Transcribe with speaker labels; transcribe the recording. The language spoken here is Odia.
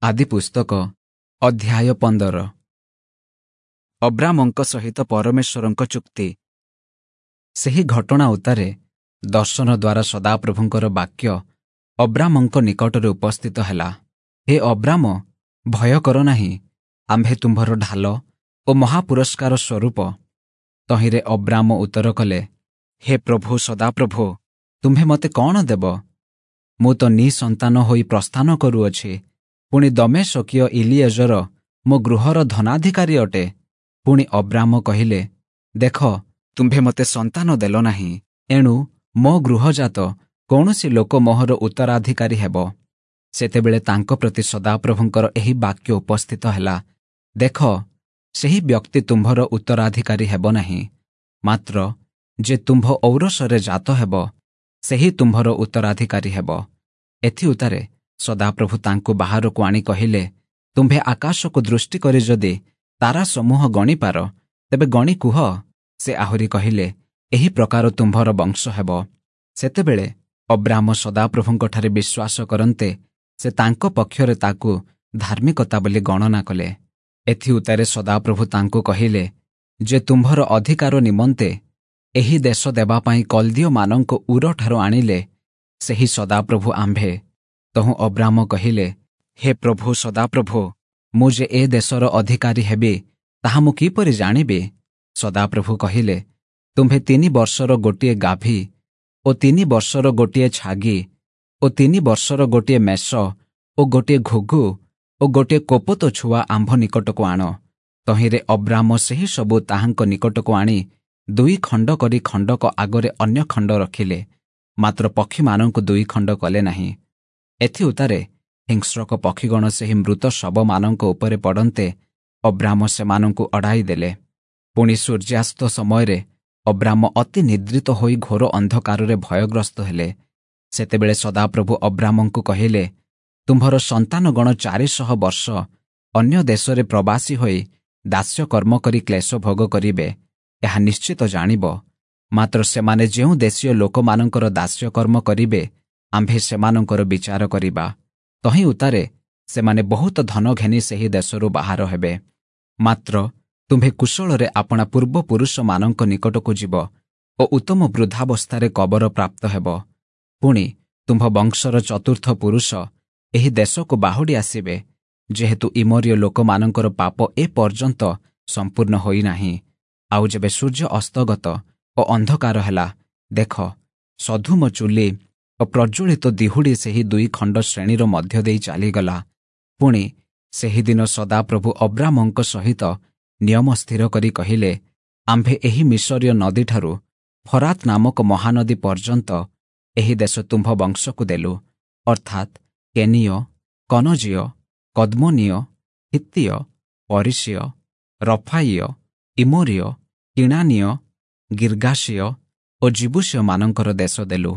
Speaker 1: ଆଦିପୁସ୍ତକ ଅଧ୍ୟାୟ 15। ଅବ୍ରାମଙ୍କ ସହିତ ପରମେଶ୍ୱରଙ୍କ ଚୁକ୍ତି। ସେହି ଘଟଣା ଉତ୍ତାରେ ଦର୍ଶନ ଦ୍ୱାରା ସଦାପ୍ରଭୁଙ୍କର ବାକ୍ୟ ଅବ୍ରାମଙ୍କ ନିକଟରେ ଉପସ୍ଥିତ ହେଲା, ହେ ଅବ୍ରାମ, ଭୟ କର ନାହିଁ, ଆମ୍ଭେ ତୁମ୍ଭର ଢାଲ ଓ ମହାପୁରସ୍କାର ସ୍ୱରୂପ। ତହିଁରେ ଅବ୍ରାମ ଉତ୍ତର କଲେ, ହେ ପ୍ରଭୁ ସଦାପ୍ରଭୁ, ତୁମ୍ଭେ ମୋତେ କ'ଣ ଦେବ? ମୁଁ ତ ନିଃସନ୍ତାନ ହୋଇ ପ୍ରସ୍ଥାନ କରୁଅଛି, ପୁଣି ଦମେଶକୀୟ ଇଲିଏଜର ମୋ ଗୃହର ଧନାଧିକାରୀ ଅଟେ। ପୁଣି ଅବ୍ରାମ କହିଲେ, ଦେଖ, ତୁମ୍ଭେ ମୋତେ ସନ୍ତାନ ଦେଲ ନାହିଁ, ଏଣୁ ମୋ ଗୃହଜାତ କୌଣସି ଲୋକ ମୋହର ଉତ୍ତରାଧିକାରୀ ହେବ। ସେତେବେଳେ ତାଙ୍କ ପ୍ରତି ସଦାପ୍ରଭୁଙ୍କର ଏହି ବାକ୍ୟ ଉପସ୍ଥିତ ହେଲା, ଦେଖ, ସେହି ବ୍ୟକ୍ତି ତୁମ୍ଭର ଉତ୍ତରାଧିକାରୀ ହେବ ନାହିଁ, ମାତ୍ର ଯେ ତୁମ୍ଭ ଔରସରେ ଜାତ ହେବ, ସେହି ତୁମ୍ଭର ଉତ୍ତରାଧିକାରୀ ହେବ। ଏଥିଉତ୍ତାରେ ସଦାପ୍ରଭୁ ତାଙ୍କୁ ବାହାରକୁ ଆଣି କହିଲେ, ତୁମ୍ଭେ ଆକାଶକୁ ଦୃଷ୍ଟି କରି ଯଦି ତାରା ସମୂହ ଗଣିପାର, ତେବେ ଗଣି କୁହ। ସେ ଆହୁରି କହିଲେ, ଏହି ପ୍ରକାର ତୁମ୍ଭର ବଂଶ ହେବ। ସେତେବେଳେ ଅବ୍ରାମ ସଦାପ୍ରଭୁଙ୍କଠାରେ ବିଶ୍ୱାସ କରନ୍ତେ ସେ ତାଙ୍କ ପକ୍ଷରେ ତାକୁ ଧାର୍ମିକତା ବୋଲି ଗଣନା କଲେ। ଏଥିଉତ୍ତାରେ ସଦାପ୍ରଭୁ ତାଙ୍କୁ କହିଲେ, ଯେ ତୁମ୍ଭର ଅଧିକାର ନିମନ୍ତେ ଏହି ଦେଶ ଦେବା ପାଇଁ କଲ୍ଦୀୟମାନଙ୍କୁ ଉରଠାରୁ ଆଣିଲେ, ସେହି ସଦାପ୍ରଭୁ ଆମ୍ଭେ। ତହୁଁ ଅବ୍ରାମ କହିଲେ, ହେ ପ୍ରଭୁ ସଦାପ୍ରଭୁ, ମୁଁ ଯେ ଏ ଦେଶର ଅଧିକାରୀ ହେବି, ତାହା ମୁଁ କିପରି ଜାଣିବି? ସଦାପ୍ରଭୁ କହିଲେ, ତୁମ୍ଭେ 3 ବର୍ଷର ଗୋଟିଏ ଗାଭୀ ଓ 3 ବର୍ଷର ଗୋଟିଏ ଛାଗି ଓ 3 ବର୍ଷର ଗୋଟିଏ ମେଷ ଓ ଗୋଟିଏ ଘୁଘୁ ଓ ଗୋଟିଏ କୋପତ ଛୁଆ ଆମ୍ଭ ନିକଟକୁ ଆଣ। ତହିଁରେ ଅବ୍ରାମ ସେହି ସବୁ ତାହାଙ୍କ ନିକଟକୁ ଆଣି 2 ଖଣ୍ଡ କରି ଖଣ୍ଡକ ଆଗରେ ଅନ୍ୟ ଖଣ୍ଡ ରଖିଲେ, ମାତ୍ର ପକ୍ଷୀମାନଙ୍କୁ 2 ଖଣ୍ଡ କଲେ ନାହିଁ। ଏଥିଉତ୍ତାରେ ହିଂସ୍ରକ ପକ୍ଷୀଗଣ ସେହି ମୃତ ଶବମାନଙ୍କ ଉପରେ ପଡ଼ନ୍ତେ ଅବ୍ରାମ ସେମାନଙ୍କୁ ଅଡ଼ାଇ ଦେଲେ। ପୁଣି ସୂର୍ଯ୍ୟାସ୍ତ ସମୟରେ ଅବ୍ରାମ ଅତି ନିଦ୍ରିତ ହୋଇ ଘୋର ଅନ୍ଧକାରରେ ଭୟଗ୍ରସ୍ତ ହେଲେ। ସେତେବେଳେ ସଦାପ୍ରଭୁ ଅବ୍ରାମଙ୍କୁ କହିଲେ, ତୁମ୍ଭର ସନ୍ତାନଗଣ 400 ବର୍ଷ ଅନ୍ୟ ଦେଶରେ ପ୍ରବାସୀ ହୋଇ ଦାସ୍ୟକର୍ମ କରି କ୍ଲେଶ ଭୋଗ କରିବେ, ଏହା ନିଶ୍ଚିତ ଜାଣିବ। ମାତ୍ର ସେମାନେ ଯେଉଁ ଦେଶୀୟ ଲୋକମାନଙ୍କର ଦାସ୍ୟକର୍ମ କରିବେ, ଆମ୍ଭେ ସେମାନଙ୍କର ବିଚାର କରିବା। ତହିଁ ଉତ୍ତାରେ ସେମାନେ ବହୁତ ଧନ ଘେନି ସେହି ଦେଶରୁ ବାହାର ହେବେ। ମାତ୍ର ତୁମ୍ଭେ କୁଶଳରେ ଆପଣା ପୂର୍ବପୁରୁଷମାନଙ୍କ ନିକଟକୁ ଯିବ ଓ ଉତ୍ତମ ବୃଦ୍ଧାବସ୍ଥାରେ କବର ପ୍ରାପ୍ତ ହେବ। ପୁଣି ତୁମ୍ଭ ବଂଶର ଚତୁର୍ଥ ପୁରୁଷ ଏହି ଦେଶକୁ ବାହୁଡ଼ି ଆସିବେ, ଯେହେତୁ ଇମୋରୀୟ ଲୋକମାନଙ୍କର ପାପ ଏ ପର୍ଯ୍ୟନ୍ତ ସମ୍ପୂର୍ଣ୍ଣ ହୋଇନାହିଁ। ଆଉ ଯେବେ ସୂର୍ଯ୍ୟ ଅସ୍ତଗତ ଓ ଅନ୍ଧକାର ହେଲା, ଦେଖ, ସଧୁମ ଚୁଲି ଓ ପ୍ରଜ୍ୱଳିତ ଦିହୁଡ଼ି ସେହି 2 ଖଣ୍ଡ ଶ୍ରେଣୀର ମଧ୍ୟ ଦେଇ ଚାଲିଗଲା। ପୁଣି ସେହିଦିନ ସଦାପ୍ରଭୁ ଅବ୍ରାମଙ୍କ ସହିତ ନିୟମ ସ୍ଥିର କରି କହିଲେ, ଆମ୍ଭେ ଏହି ମିଶରୀୟ ନଦୀଠାରୁ ଫରାତ ନାମକ ମହାନଦୀ ପର୍ଯ୍ୟନ୍ତ ଏହି ଦେଶ ତୁମ୍ଭ ବଂଶକୁ ଦେଲୁ, ଅର୍ଥାତ୍ କେନୀୟ, କନଜୀୟ, କଦ୍ମୋନୀୟ, ହିତ୍ତୀୟ, ପରିସୀୟ, ରଫାଇୟ, ଇମୋରୀୟ, କିଣାନୀୟ, ଗିର୍ଗାସୀୟ ଓ ଯିବୂଷୀୟମାନଙ୍କର ଦେଶ ଦେଲୁ।